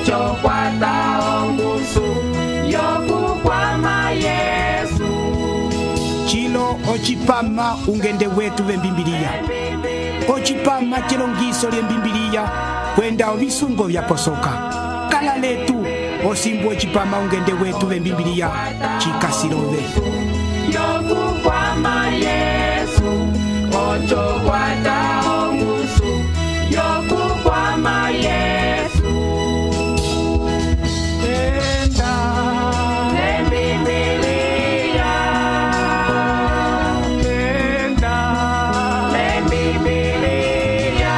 ocho kwata ongusu yokukwama Yesu. Chilo ochipama ungende wetu vembimbiliya. Ochipama chilongiso lyembimbiliya kwenda ovisungo vyaposoka. Kala letu osimbu ochipama ungende wetu vembimbiliya chikasilove. Yokukwama Yesu, ocho kwata ongusu yokukwama Yesu. Enda lembimbiliya, enda lembimbiliya,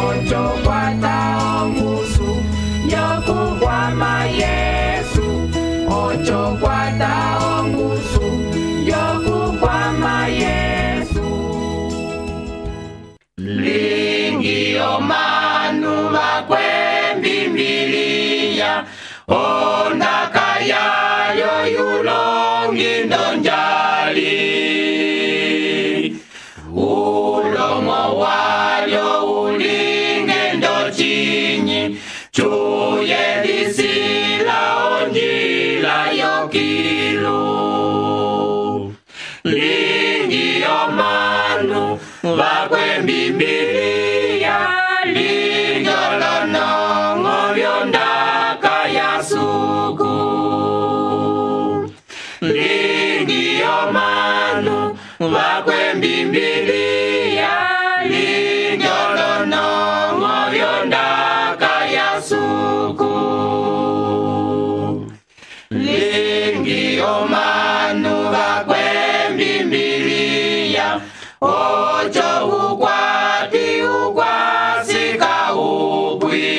ocho kwata ongusu yokukwama Yesu, ocho kwata ongusu yokukwama Yesu. Lingi omanu bakwembimbiliya, ondaka yayo yulongi ndonjali. Ulomo walyo ulinge ndochinyi, chuye lisila onjila yokilu. Lingi omanu bakwembimbiliya, linjolonongo byondaka yasuku. Lingi omanu bakwembimbiliya, linjolonongo byondaka yasuku. Lingi omanu bakwembimbiliya, ocho ukwati ukwasika upwi.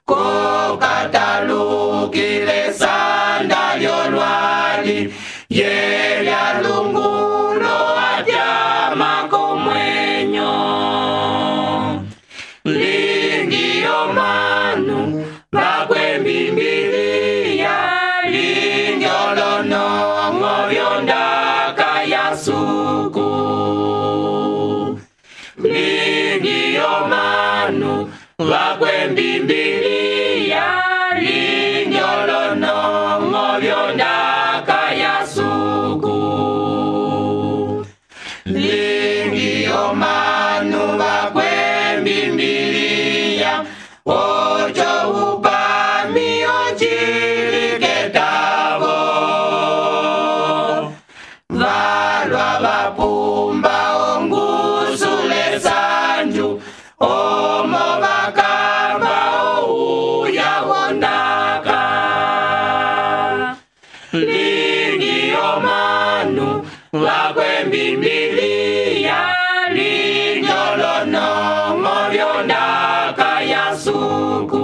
Kokatalukile sanda lyolwali, yelya lungulo atyama komwenyo. Lingi omanu bakwembimbiliya, linjolonongo byondaka yasuku. Lingi omanu bakwembimbiliya, linjolonongo byondaka yasuku. Lingi omanu bakwembimbiliya, ocho upami ochiliketavo. Valwa vapumba ongusule sanju, omo bakamba ouya wondaka. Lingi omanu bakwembimbiliya, linjolonongo byondaka yasuku.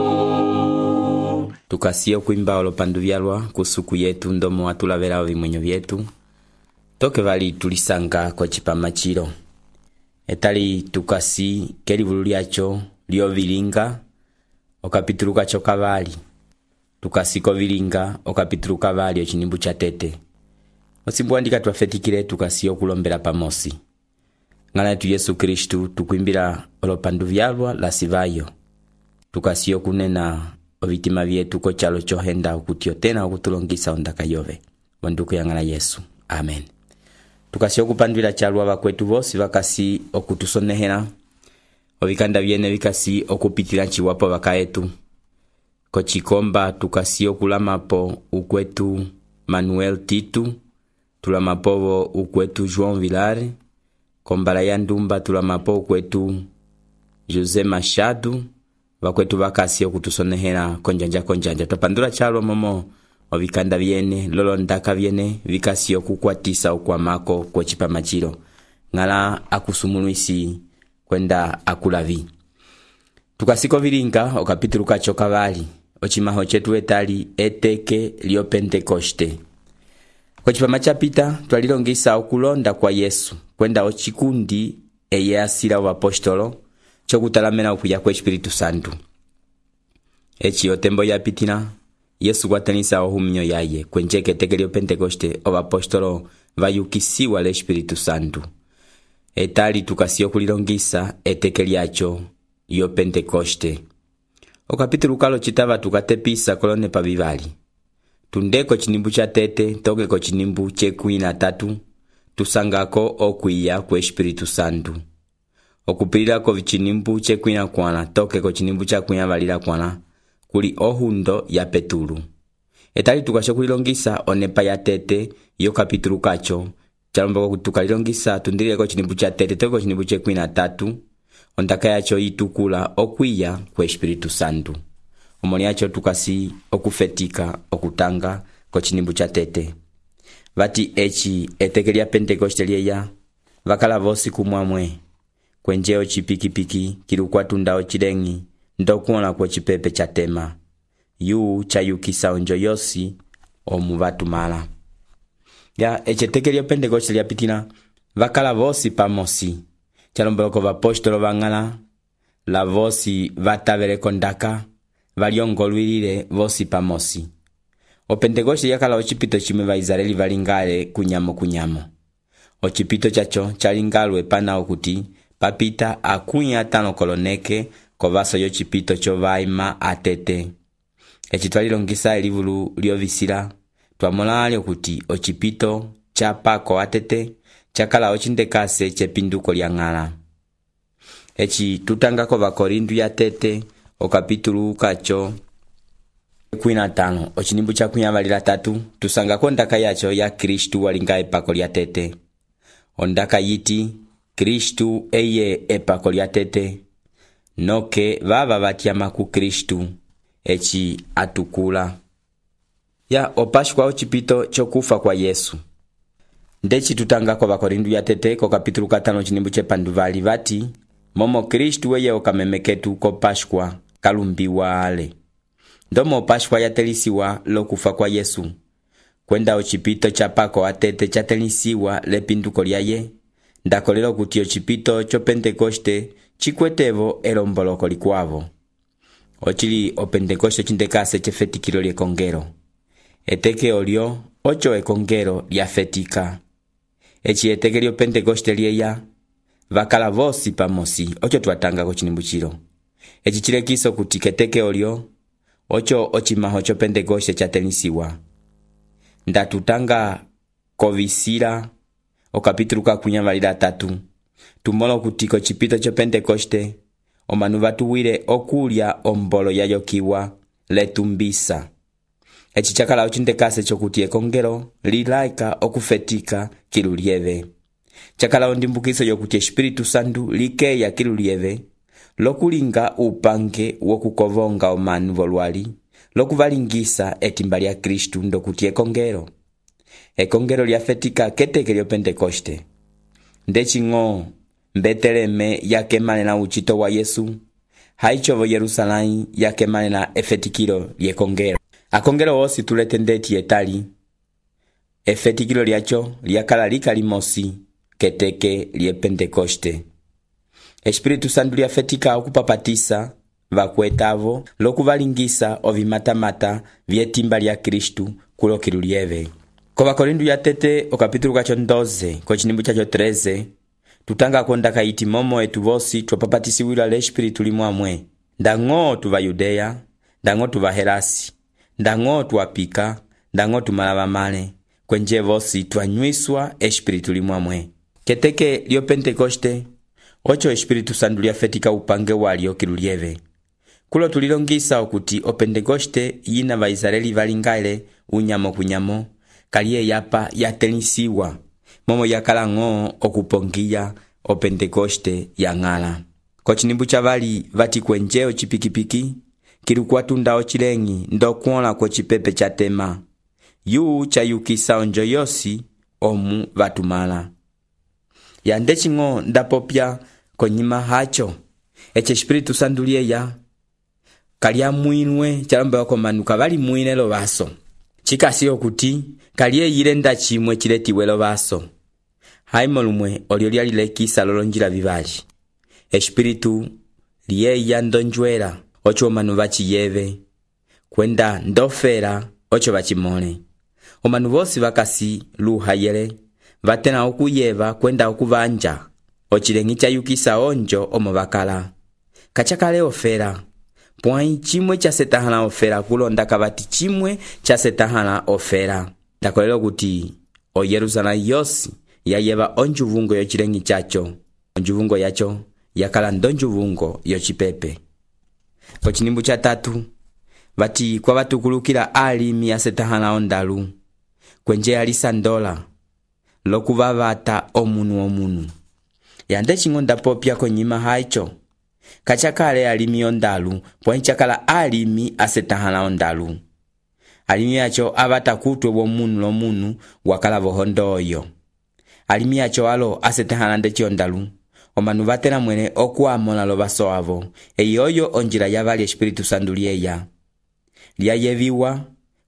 Tukasiye kuimba olopandu vyalwa kusuku yetu ndomo watulavela vimwenyo vyetu. Toke vali tulisanga kwa chipama chilo. Etali tukasi kelivulu lyacho lyo vilinga okapituluka chokavali. Tukasiko vilinga okapituluka vali ochinimbu cha tete. Osimbu andika tuafetikile tukasiyo kulombela pamosi. Ngala yetu Yesu Kristu tukuimbila olopandu vyalwa la sivayo. Tukasiyo kunena ovitima vyetu ko chalo chohenda okutio tena okutulongisa ondaka yove. Wanduku ya ngala Yesu. Amen. Tukasiyo kupandwila chalwa vakwetu vosi vakasi okutusonehela. Ovikanda vyene vikasi okupitila chiwapo vakaetu. Kochikomba tukasiyo kulamapo ukwetu Manuel Titu. Tulamapovo ukwetu João Vilar. Kombala ya ndumba tulamapo ukwetu José Machado. Vakwetu vakasi okutusonehela konjanja. Topandula chalwa momo ovikanda vyene lolondaka vyene vikasi okukwatisa okwamako kwa chipama chilo. Ngala akusumuluisi kwenda akulavi. Tukasiko vilinga okapituluka chokavali. Ochimaho chetu etali eteke lyo Pentekoste. Kwa chipama chapita twalilongisa okulonda kwa Yesu kwenda ochikundi eye asila wa apostolo chokutalamena okuya kwa Espiritu Santo. Echi otembo yapitina Yesu kwatanisa ohuminyo yaye kwenjeke eteke lyo Pentekoste o apostolo vayukisiwa le Espiritu Santo. Etali tukasiyo kulilongisa eteke lyacho lyo Pentekoste. okapitulu kalo citava tukatepisa kolonepa vivali. Tundeko cinimbu ca tete tokeko cinimbu cekwi na tatu, tusangako okwiya ku Espiritu Santu. Okupililako vicinimbu cekwi na kwana tokeko cinimbu ca kwiya valila kwana, kuli ohundo ya Petulu. Etali tukasho kulilongisa onepa ya tete yo kapitulu kacho, chalombako kutukalilongisa tundileko cinimbu ca tete tokeko cinimbu cekwi na tatu, ondaka yacho itukula okwiya ku Espiritu Santu. Omoni yacho tukasi okufetika okutanga ko cinimbu ca tete. Vati eci eteke lya Pentekoste lieya, vakala vosi kumwamwe, kwenjeo cipikipiki kilukwatunda ocilengi, ndokuona kwa cipepe ca tema. Yu chayukisa onjo yosi omu vatumala. Ya eceteke lya Pentekoste lya pitina, vakala vosi pamosi. Chalombeloko vapostolo vangala, la vosi vataveleko ndaka, valiongolwilile vosi pamosi. O Pentekoste yakala ocipito chimwe va Israeli valingale kunyamo. Ocipito chacho chalingalwe pana okuti papita akunya atano koloneke kovaso yo cipito cho vaima atete. Eci twalilongisa elivulu lyovisila, twamolali okuti ocipito cha pako atete chakala ocindekase cepinduko lya ng'ala. Eci tutangako vakorindu ya tete okapitulu kacho 15 ocinimbu ca kwiya valila tatu, tusangako ndaka yacho ya Kristu walinga epako lya tete. Ondaka yiti Kristu eye epako lya tete, noke vava vatyama ku Kristu eci atukula. Ya opashwa ocipito chokufa kwa Yesu. Ndeci tutangako vakorindu ya tete ko kapitulu 5 cinimbu cepanduvali vati, momo Kristu eye okamemeketu ko Pashwa kalumbiwa ale. Ndomo Pashwa yatelisiwa lokufa kwa Yesu, kwenda ocipito cha pako atete chatelisiwa lepinduko lyaye, ndakolelo kuti ocipito cho Pentekoste chikwetevo elomboloko likwavo. Ochili o Pentekoste cindekase cefetikilo lyekongelo. Eteke olyo ocho ekongelo lyafetika. Eci eteke lyo Pentekoste lieya, vakala vosi pamosi, ocho twatanga ko cinimbu cilo. Eci cilekiso kuti keteke olyo ocho ocimaho cho Pentekoste chatelisiwa. Ndatutanga kovisila okapitulu ka kwiya valila tatu, tumolo kuti ko cipito cho Pentekoste omanu vatuwile okulya ombolo yayokiwa letumbisa. Eci chakala ocindekase chokuti ekongelo lilaika okufetika kilu lieve. Chakala ondimbukiso yokuti Espiritu Santu likeya kilu lieve, lokulinga upange wokukovonga omanu volwali, lokuvalingisa etimba lya Kristu ndokuti ekongelo. Ekongelo lyafetika keteke lyo Pentekoste. Ndecing'o Mbeteleme yakemale na uchito wa Yesu, haichovo Yerusalai yakemale na efetikilo lyekongelo. Akongelo osi tuletendeti etali, efetikilo lyacho lyakala likalimosi keteke lye Pentekoste. Espiritu Santu lyafetika okupapatisa vakwetavo lokuvalingisa ovimatamata vyetimba lya Kristu kulokilu lieve. Ko Vakorindu ya tete okapitulu kacho 12 ko cinimbu chacho 13, tutanga kondaka iti momo etu vosi twapapatisiwila le Espiritu limwamwe, ndang'o tuva Yudeya, ndang'o tuva Helasi, ndang'o tuwapika, ndang'o tumalava male, kwenje vosi twanywiswa Espiritu limwamwe. Keteke lyo Pentekoste ocho Espiritu Santu lyafetika upange walyo kilu lieve. Kulo tulilongisa okuti o Pentekoste yina va Israeli valingale unyamo kunyamo, kaliye yapa yatelisiwa, momo yakala ng'o okupongiya o Pentekoste ya ng'ala. Ko cinimbu ca vali vati kwenjeo cipikipiki, kilukwatunda ocilengi ndokuola ko cipepe ca tema. Yu chayukisa onjo yosi omu vatumala. Yandecing'o ndapopya konyima hacho, ece Espiritu Santu lieya kalya mwinwe chalombewa ko manu kavali mwine lo vaso. Chikasi okuti kaliye yilenda chimwe chiletiwe lo vaso. Haimo lumwe olyo lyalilekisa lolonjila vivali. Espiritu lieya ndonjwela ocho manu vachiyeve, kwenda ndofera ocho vachimole. Omanu vosi vakasi luhayele, vatena okuyeva kwenda okuvanja, ochilengi chayukisa onjo omo vakala. Kachakale ofera, pwãyi cimwe casetahãla ofera kulonda kavati cimwe casetahãla ofera. Ndakolela kuti o Yerusalemu yosi yayeva onjuvungo yocileng'i caco. Onjuvungo yaco yakala ndonjuvungo yocipepe. Kocinimbu ca 3 vati kwavatukulukila alimi asetahãla ondalu kwenje alisandola lokuvavata omunu. Yande cing'onda popya konyima haico kacakale alimi ondalu pwãyi cakala alimi asetahãla ondalu. Alimi yaco avata kutwe womunu lomunu wakala vohondo oyo. Alimi yaco alo asetahãla ndeci ondalu omanu vatela mwene okuamona lo vaso avo. Eyoyo onjila yavali Espiritu Santu lieya lyayeviwa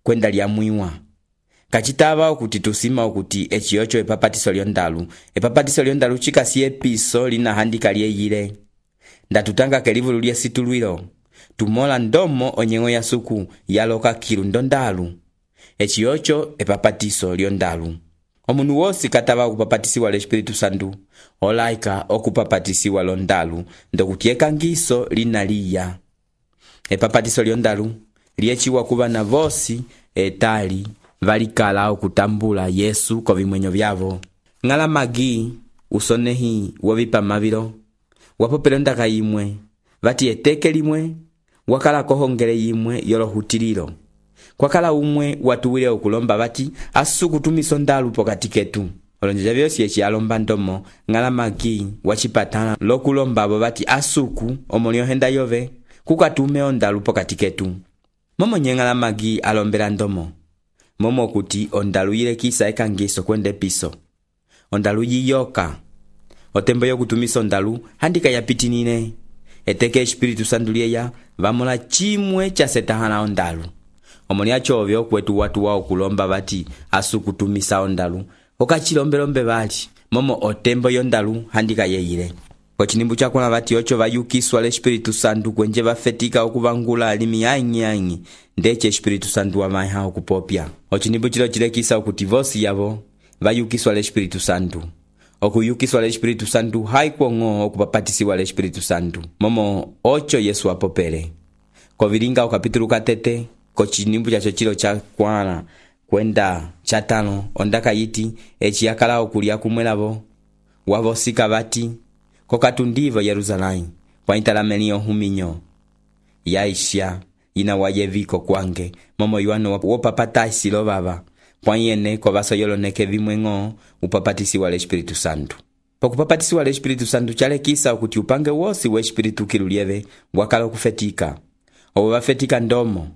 kwenda lyamwiwa. Kacitava okuti tusima okuti eciyoco epapatiso lyondalu. Epapatiso lyondalu cikasi episo linahandika lyeyile. Ndatutanga kelivulu lyesitulwilo tumola ndomo onyeng'o ya suku yaloka kilu ndondalu. Eciyoco epapatiso lyondalu. Omunu wosi katava okupapatisiwa l'Espiritu Santu olaika okupapatisiwa londalu ndokuti ekangiso linaliya. Epapatiso lyondalu lieciwa kuvana vosi etali valikala okutambula Yesu kovimwenyo vyavo. Ng'ala magi usonehi wovipamavilo wapopela ondaka yimwe vati eteke limwe wakala kohongele yimwe yolohutililo. Kwakala umwe watuwile okulomba vati asukutumisa ondalu pokati ketu. Olonjeja vyosi eci alomba ndomo ng'ala magi wacipatala lokulomba abo vati asuku omoliohenda yove kukatume ondalu pokati ketu. Momo nye ng'ala magi alombela ndomo momo kuti ondalu yilekisa ekangiso kwenda episo. Ondalu yiyoka otembo yokutumisa ondalu handika yapitinine. Eteke Espiritu Santu lieya vamola cimwe casetahãla ondalu. Omoni acovyo kwetu watu wao kulomba vati asukutumisa ondalu okacilombelombe vali momo otembo yondalu handika yeyile. Kocinimbu cakona vati oco vayukiswa l'Espiritu Santu kwenje vafetika okuvangula alimi anyi ndece Espiritu Santu wamaiha okupopya. Ocinimbu cilo cilekisa okuti vosi yavo vayukiswa l'Espiritu Santu. Okuyukiswa l'Espiritu Santu haikuong'o okupapatisiwa l'Espiritu Santu momo oco Yesu apopele. Kovilinga okapitulu katete kocinimbu caco cilo cakwana kwenda ca 5 ondaka yiti eci yakala okulya kumwelavo wavosika vati kokatundivo Yerusalemu pwaitalameliyo huminyo yaisha yina wayeviko kwange momo yuano wopapatasi lovava pwanyene kovaso yoloneke vimweng'o upapatisiwa l'Espiritu Santu. Pokupapatisiwa l'Espiritu Santu calekisa okuti upange wosi wa Espiritu kilulieve wakala okufetika. Owo vafetika ndomo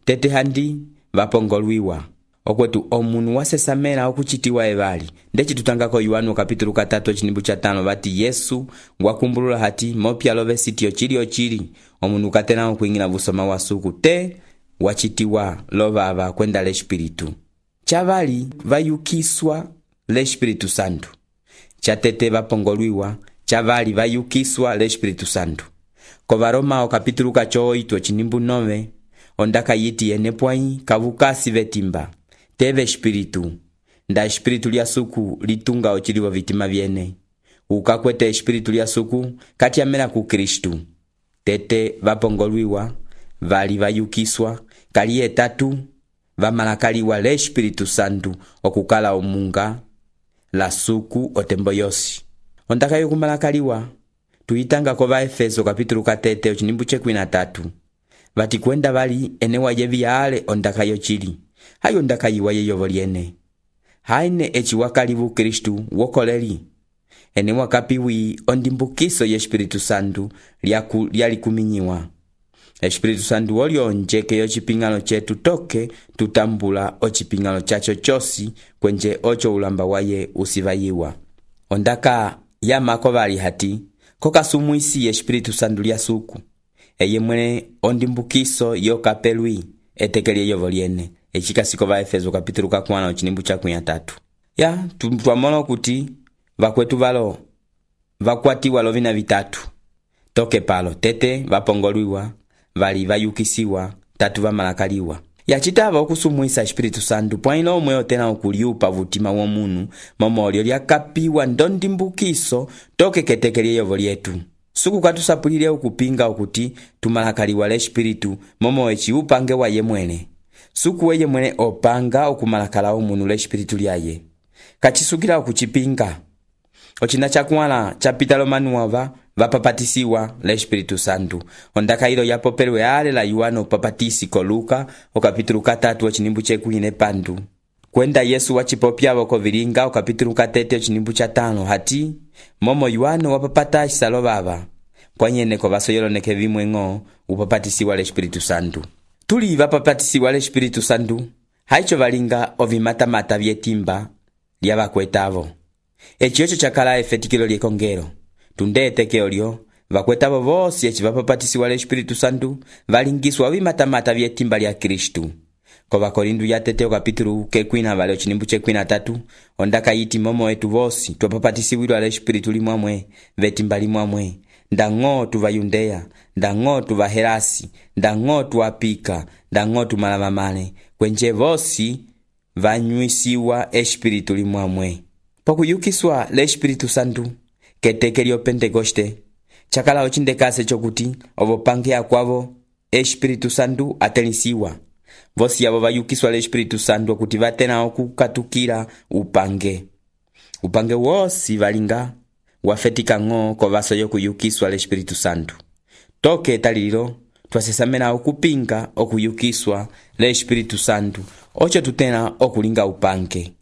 tete handi vapongolwiwa. Okwetu omunu wasesamela okucitiwa evali. Ndeci tutangako Yohana kapitulu 3 cinimbu ca 5 vati Yesu wakumbulula hati mopya love sitio cili omunu katena okuingila vusoma wasuku te wacitiwa lovava kwenda l'Espiritu. Chavali vayukiswa l'Espiritu Santu. Chatete vapongolwiwa chavali vayukiswa l'Espiritu Santu. Kovaroma kapitulu 8 cinimbu 9 ondaka yiti ene pwãyi kavukasi vetimba teve Espiritu nda Espiritu lya suku litunga ocilivo vitima vyene ukakwete Espiritu lya suku kati amela ku Kristu. Tete vapongolwiwa vali vayukiswa kali etatu vamalakaliwa l'Espiritu Santu okukala omunga la suku otembo yosi. Ondaka yokumalakaliwa tuitanga kova Efeso kapitulu 3 cinimbu ca 13 vati kwenda vali ene wayevi ale ondaka yocili hayo ondaka yiwa yeyovo liene haine eci wakalivu Kristu wokoleli ene wakapiwi ondimbukiso ye Espiritu Santu lyalikuminyiwa. Espiritu Santu olionjeke yocipingano cetu toke tutambula ocipingano caco cosi kwenje oco ulamba waye usivayiwa. Ondaka yamako vali hati kokasumuisi ye Espiritu Santu lya suku eye mwene ondimbukiso yokapelwi etekeli yeyovo liene ecikasiko va Efeso kapitulu 4 cinimbu ca 13. Ya twamona kuti vakwetu valo vakwatiwa lovina vitatu toke palo tete vapongolwiwa vali vayukisiwa tatu vamalakaliwa. Yacitava okusumuisa Espiritu Santu pwaino omwe otena okuliupa vutima womunu momo olio lyakapiwa ndondimbukiso toke ketekeli yeyovo lietu. suku katusapulile okupinga okuti tumalakaliwa l'espiritu momo eci upange wa ye mwene. Suku weye mwene opanga okumalakala omunu l'espiritu lyaye. Kachisukila okuchipinga. Ochina chakuala chapitalo manuava vapapatisiwa l'Espiritu Santu. Ondakailo yapopelwe ale la Yohana papatisi ko Luka okapitulu 3 ochinimbu chekuine pandu. Kwenda Yesu wachipopyavo kovilinga okapitulu 3 ochinimbu cha 5 hati momo Yohana wapapatisa lo baba. Kwanyene ko vasoyoloneke vimwengo upapatisiwa l'Espiritu Santu. Tuli vapapatisiwa l'Espiritu Santu haicho valinga ovimatamata vyetimba lya vakwetavo. Eci ocho chakala efetikilo lyekongelo. Tundete olyo vakwetavo vosi eci vapapatisiwa l'Espiritu Santu valingiswa ovimatamata vyetimba lya Kristu. Ko Vakorindu ya tete okapitulu kekwina vale ochinimbu chekwina 3 ondaka yiti momo etu vosi twapapatisiwilwa l'Espiritu limwamwe vetimba limwamwe. Ndango tuva Yudea, ndango tuva Herasi, ndango tuapika, ndango tumalavamale, kwenje vosi vanywisiwa Espiritu limwamwe. Pakuyukiswa l'Espiritu Santu keteke lyo Pentekoste chakala ochindekase chokuti ovopange akwavo Espiritu Santu atelisiwa. Vosi abo vayukiswa l'Espiritu Santu okuti vatena okukatukila upange. Upange wosi valinga wafetika ngo ko vaso yokuyukiswa l'Espiritu Santu. Toke talilo twasesamena okupinga okuyukiswa l'Espiritu Santu ocho tutena okulinga upange.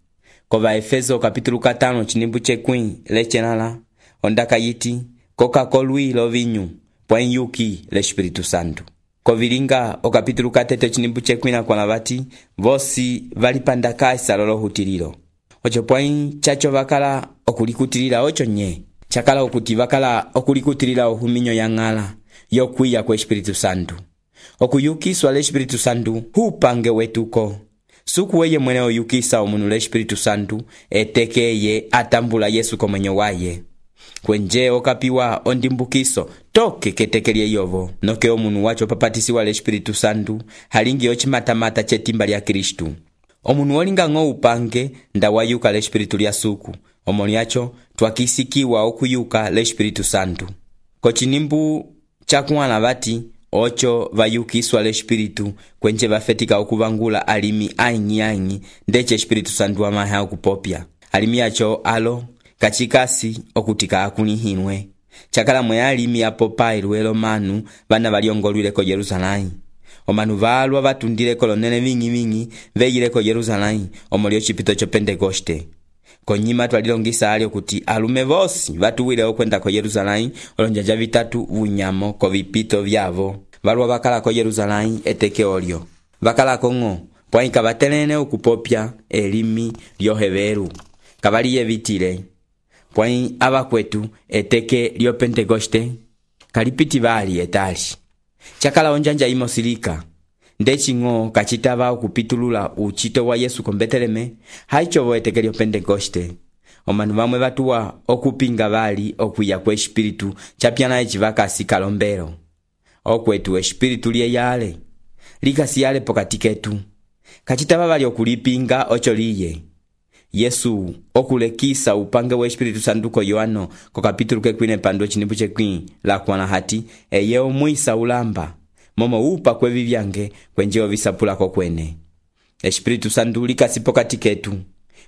Kova Efeso kapitulu 5 chinimbu chekwin lechenala ondaka yiti koka kolwi lo vinyu pwen yuki l'Espiritu Santu. Kovilinga o kapitulu 4 chinimbu chekwina kwa navati vosi valipandakaisa lolo hutililo. Ocho pwen chacho vakala okulikutilila ocho nye. Chakala okuti vakala okulikutilila ohuminyo ya ngala yokwiya kwa Espiritu Santu. Okuyukiswa l'Espiritu Santu hupange wetuko. Suku weye mwene oyukisa omunu l'Espiritu Santu etekeye atambula Yesu komenyo waye. Kwenje okapiwa ondimbukiso toke ketekelie yovo. Noke omunu wacho papatisiwa l'Espiritu Santu halingi ochimatamata chetimba lya Kristu. Omunu olinga ngo upange ndawayuka l'Espiritu lya suku. Omoni yacho twakisikiwa okuyuka l'Espiritu Santu. Kochinimbu chakuana vati ocho vayukiswa l'Espiritu kwenje vafetika okuvangula alimi ainyi ndeche Espiritu Santu amaha okupopya. Alimi yacho alo kachikasi okutika akunihinwe. Chakala mwe alimi apopa iluelo manu vana valiongolwile ko Yerusalemu. Omanu valwa vatundile kolonene vingi veyile ko Yerusalemu omolio chipito cho Pentekoste. Konyima twalilongisa alio kuti alume vosi vatuwile okwenda ko Yerusalemu olonjanja vitatu vunyamo ko vipito vyavo. Valwa vakala ko Yerusalemu eteke olio. Vakala kongo pwaika vatelene okupopya elimi lyoheveru. Kavaliye vitile. Pwai abakwetu eteke lyo Pentekoste kalipiti vali etali. Chakala onjanja imosilika. Ndechingo kachitava okupitulula uchito wa Yesu ko Beteleme haichovo eteke lyo Pentekoste. Omanu vamwe vatuwa okupinga vali okuya kwa Espiritu chapyana echivakasi kalombero. Okwetu Espiritu liye yale likasi yale pokati ketu. Kachitava vali okulipinga ocho liye. Yesu okulekisa upange wa Espiritu Santu ko Yohano ko kapitulu kekwine pando chinimbu chekwin la kuana hati eye omwisa ulamba momo upa kwevi vyange kwenje ovisapula ko kwene. Espiritu Santu likasi pokati ketu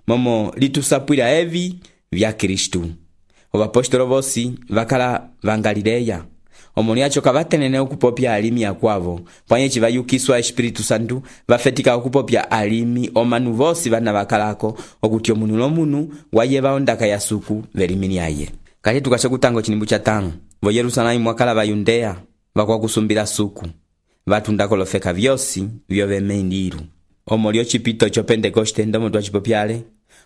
momo litusapwila evi vya Kristu. Ovapostolo vosi vakala vangalileya. Omoni yacho kavatenene okupopya alimi akwavo. Pwanye chivayukiswa Espiritu Santu vafetika okupopya alimi omanu vosi vana vakalako okuti omunu lomunu wayeva ondaka ya suku velimini aye. Kali tukashe kutango chinimbu cha 5. Vo Yerusalemu mwakala va Yudea vakwakusumbila suku. Vatundako lofeka vyosi vyovemeindiru. Omolio chipito cho Pentekoste ndomo twachipopyale.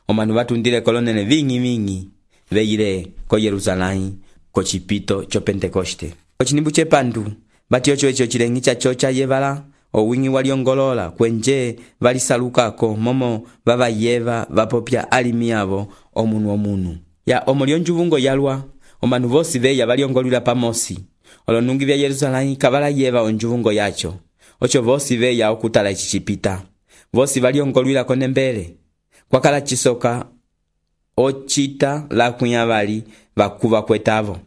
Omanu vatundile kolonene vingi veyile ko Yerusalemu ko chipito cho Pentekoste. Ochinimbu chepandu bati ocho echo chilengi chachocha yevala owingi waliongolola kwenje valisalukako momo vavayeva vapopya alimi avo omunu. Ya omolio njuvungo yalwa omanu vosi veya valiongolwila pamosi. Olonungi vya Yerusalemu kavala yeva onjuvungo yacho. Ocho vosi veya okutala ichichipita. Vosi valiongolwila konembele. Kwakala chisoka ochita la kunyavali vakuva kwetavo.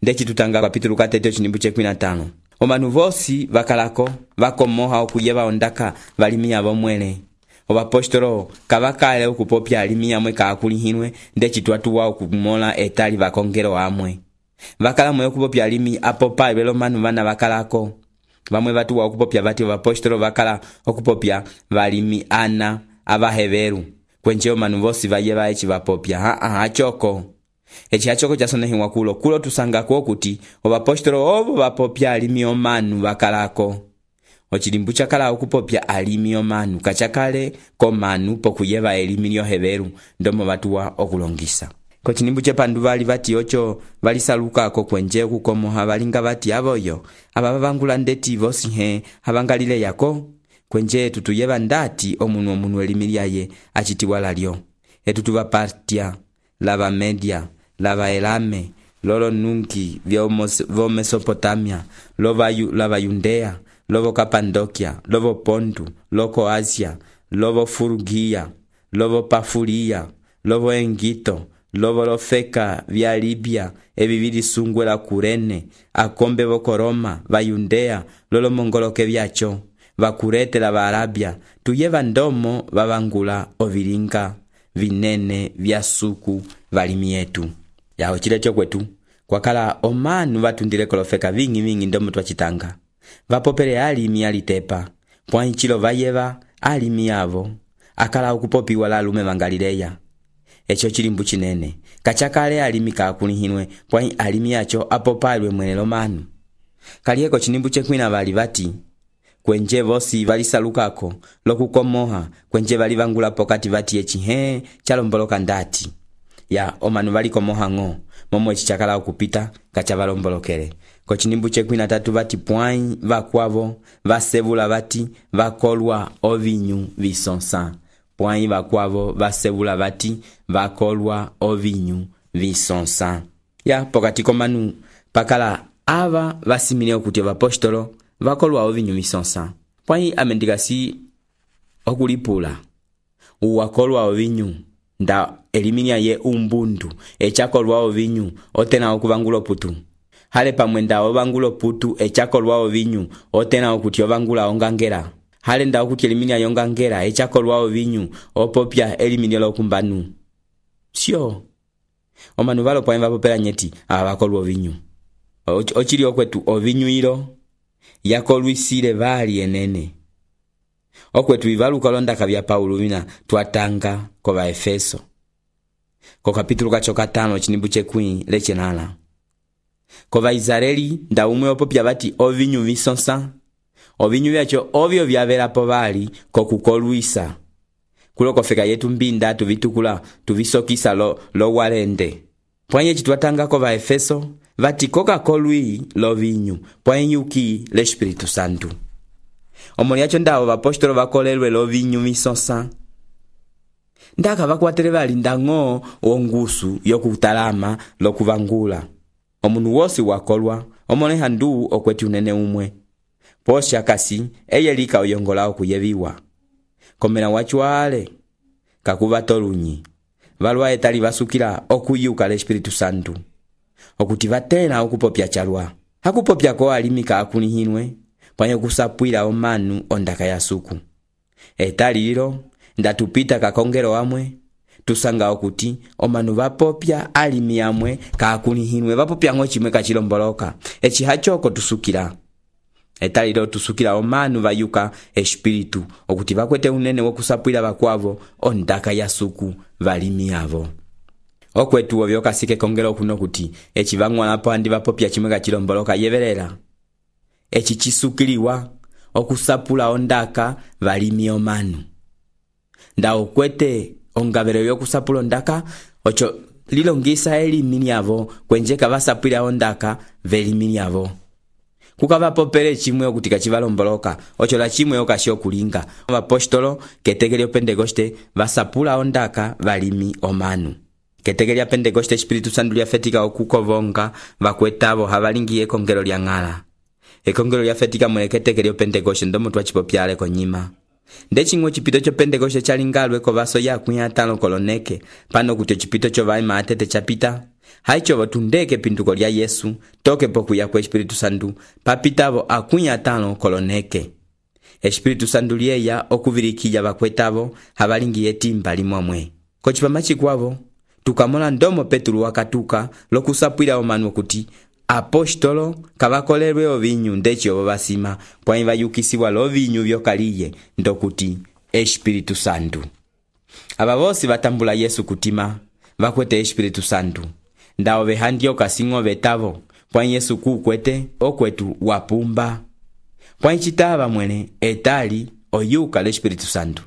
ndeci tutanga kapitulu 3 cinimbu ce 15. Omanu vosi vakalako vakomoha okuyeva ondaka valimi yavo mwele. Ovapostolo kavakale okupopya alimi yamwe kaakulihinwe ndeci twatuwa okumola etali vakongelo amwe. Vakala mwe okupopya alimi apopa ibelo manu vana vakalako. Vamwe vatuwa okupopya vati ovapostolo vakala okupopya valimi ana avaheveru. Kwenje omanu vosi vayeva echi vapopya hachoko. Echi hachoko chasonehiwa kulo tusanga kuti ovapostolo ovo vapopya alimi omanu vakalako. Ochilimbu chakala okupopya alimi omanu kachakale komanu pokuyeva elimi lyoheveru ndomo vatuwa okulongisa. Kochilimbu chepandu vali vati ocho valisalukako kwenje okukomoha valinga vati avoyo abavangula ndeti vosi havangalile yako kwenje tutuyeva ndati omunu elimi lyaye achitiwa lalyo. Etutuva Partia, lava Media, lava Elame, lolo nunki vo Mesopotamia, lava Yudea, lovo Kapandokia, lovo Pontu, loko Asia, lovo Furugia, lovo Pafulia, lovo Engito, lovo lofeka vya Libya, evivili sungwe la Kurene, akombe voko Roma, va Yudea, lolo mongoloke vyacho, va Kurete la va Arabia, tuyeva ndomo vavangula ovilinga vinene vya suku valimi yetu. Yaho chilecho kwetu kwakala omanu vatundile kolofeka vingi ndomo twachitanga. Vapopele alimi alitepa pwanchilo vayeva alimi yavo akala okupopiwa la lume vangalileya. Echo chilimbu chinene kachakale alimi kaakulihinwe pwa alimi yacho apopalwe mwenelo manu. Kalieko chinimbu chekwina vali vati kwenje vosi valisalukako lokukomoha kwenje valivangula pokati vati echi chalomboloka ndati ya omanu valikomoha ngo momo echi chakala okupita kachavalombolokele. Kochinimbu chekwina tatu vati pwai vakwavo vasevula vati vakolwa ovinyu visonsa. Pwai vakwavo vasevula vati vakolwa ovinyu visonsa. Ya pokati komanu pakala ava vasimile okuti vapostolo vakolwa ovinyu visonsa. Pwai amendigasi okulipula uwakolwa ovinyu nda eliminia ye umbundu echakolwa ovinyu otena okuvangula putu. Hale pamwenda ovangula putu echakolwa ovinyu otena okuti ovangula ongangera. Hale nda okuti eliminia yongangera echakolwa ovinyu opopya eliminia lokumbanu. Sio omanu valo pwai vapopela nyeti avakolwa ovinyu. Ochili okwetu ovinyu ilo yakolwisile vali enene. Okwetu ivalu kalondaka vya Paulo vina twatanga kova Efeso. Ko kapitulu kacho 5 chinimbu chekwi lechenala. Kova Israeli nda umwe opopya vati ovinyu visonsa. Ovinyu vyacho ovyo vyavelapo vali kokukolwisa. Kulo kofeka yetu mbinda tuvitukula tuvisokisa lo walende. Pwanye chitwatanga kova Efeso vati koka kolwi lo vinyu pwanyuki le Espiritu Santu. Omoni yacho ndawo vapostolo vakolelwe lo vinyu visonsa. Ndaka vakwatele vali ndango ongusu yokutalama lokuvangula. Omunu wosi wakolwa omone handu okweti unene umwe. Posha kasi eyelika oyongola okuyeviwa. Komena wachuale kakuva tolunyi. Valwa etali vasukila okuyuka le Espiritu Santu. Okuti vatena okupopya chalwa. Hakupopya ko alimi kaakulihinwe pwanye kusapwila omanu ondaka ya suku. Etali lilo ndatupita kakongero amwe tusanga okuti omanu vapopya alimi amwe kaakulihinwe vapopya ngo chimwe kachilomboloka. Echi hachoko tusukila. Etali lilo tusukila omanu vayuka espiritu okuti vakwete unene wokusapwila vakwavo ondaka ya suku valimi yavo. Okwetu ovyo kasike kongero kuno kuti echi vangwalapo andi vapopya chimwe kachilomboloka yevelela. Echi chisukiliwa okusapula ondaka valimi omanu. Nda okwete ongabelo yokusapula ondaka ocho lilongisa elimi yavo kwenjeka vasapwila ondaka velimi yavo. Kukava popele chimwe okuti kachivalomboloka ocho la chimwe okasho kulinga. Apostolo ketegelio Pentekoste vasapula ondaka valimi omanu. Ketegelia Pentekoste Espiritu Santu lyafetika okukovonga vakwetavo havalingi ekongelo lya ngala. Ekongelo lyafetika mweketegelio Pentekoste ndomo twachipopyale konyima. Ndechingwe chipito cho Pentekoste chalingalwe ko vaso ya 5 koloneke pano kuti chipito cho vai matete chapita haicho tundeke pinduko lya Yesu toke pokuya kwa Espiritu Santu papitavo 50 koloneke. Espiritu Santu liyeya okuvirikija bakwetavo habalingiye timba limwamwe. Kochipama chikwavo tukamola ndomo Petulu wakatuka lokusapwila omanu kuti apostolo kabakolerwe ovinyu ndechi obo basima pwa bayukisiwa lovinyu byokaliye ndokuti Espiritu Santu. Aba bosi batambula Yesu kutima bakwete Espiritu Santu. Ndao behandio kasingo betavo pwa Yesu kukwete okwetu wapumba. Pwa nchitava mwene etali oyuka l'Espiritu Santu.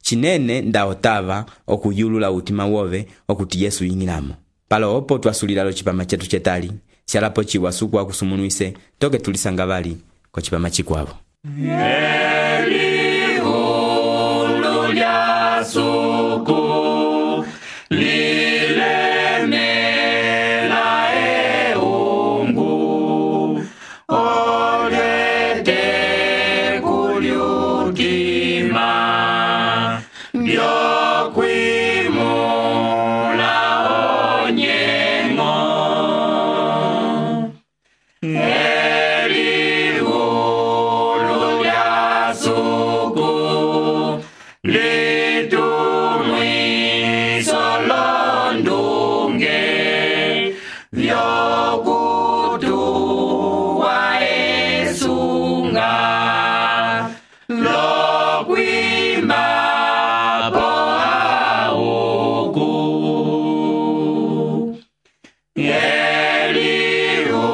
Chinene ndao tava okuyulula utima wove okuti Yesu yingilamo. Palo opo twasulila lo chipama chetu chetali. Sialapo chiwasuku wa kusumunuise toke tulisanga bali kwa chipama chikwavo. Elihulu lya suku lilemela eungu olete kulyutima byokwimula onyengo. Elihulu lya suku litumwiso londunge vyokutuwa esunga lokwima po auku. Elihulu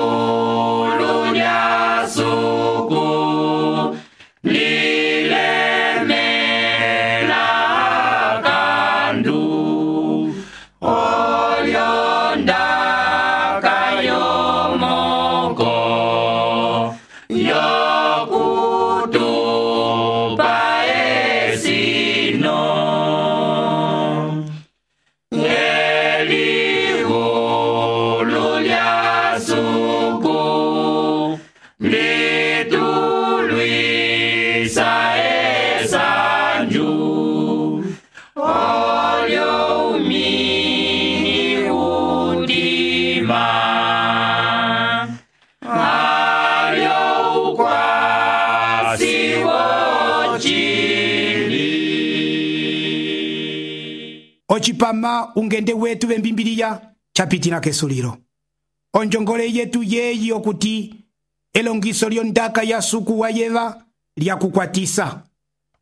lya suku lilemela kandu olyondaka yomoko yokutupa esino. Elihulu lya suku litulwisa esanju olyo umini udima alyo ukwasi wochili. Ochipama ungende wetu bembimbiliya chapitina kesuliro. Onjongole yetu yeyi okuti elongiso lyondaka ya suku wa yeva lyakukwatisa.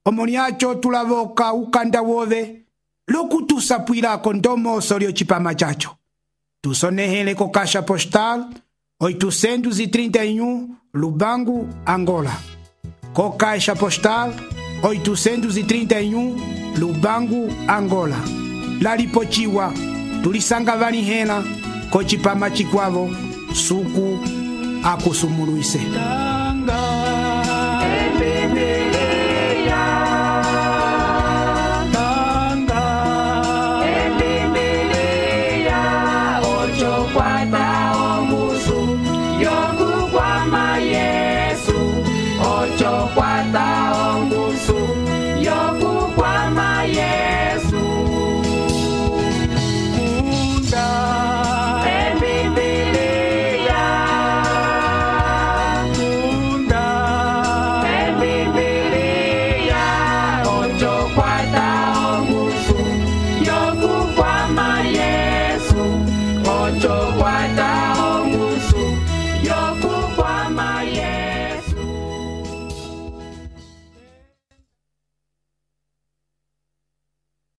Omoniacho tulavoka ukanda wove lokutusapwilako ndomoso lyochipama chacho. Tusonehele ko Caixa Postal 831 Lubangu, Angola. Ko Caixa Postal 831 Lubangu, Angola. Lalipochiwa tulisanga valihela ko chipama chikwavo suku akusumuluise. Ocho kwata omusu yokukwama ye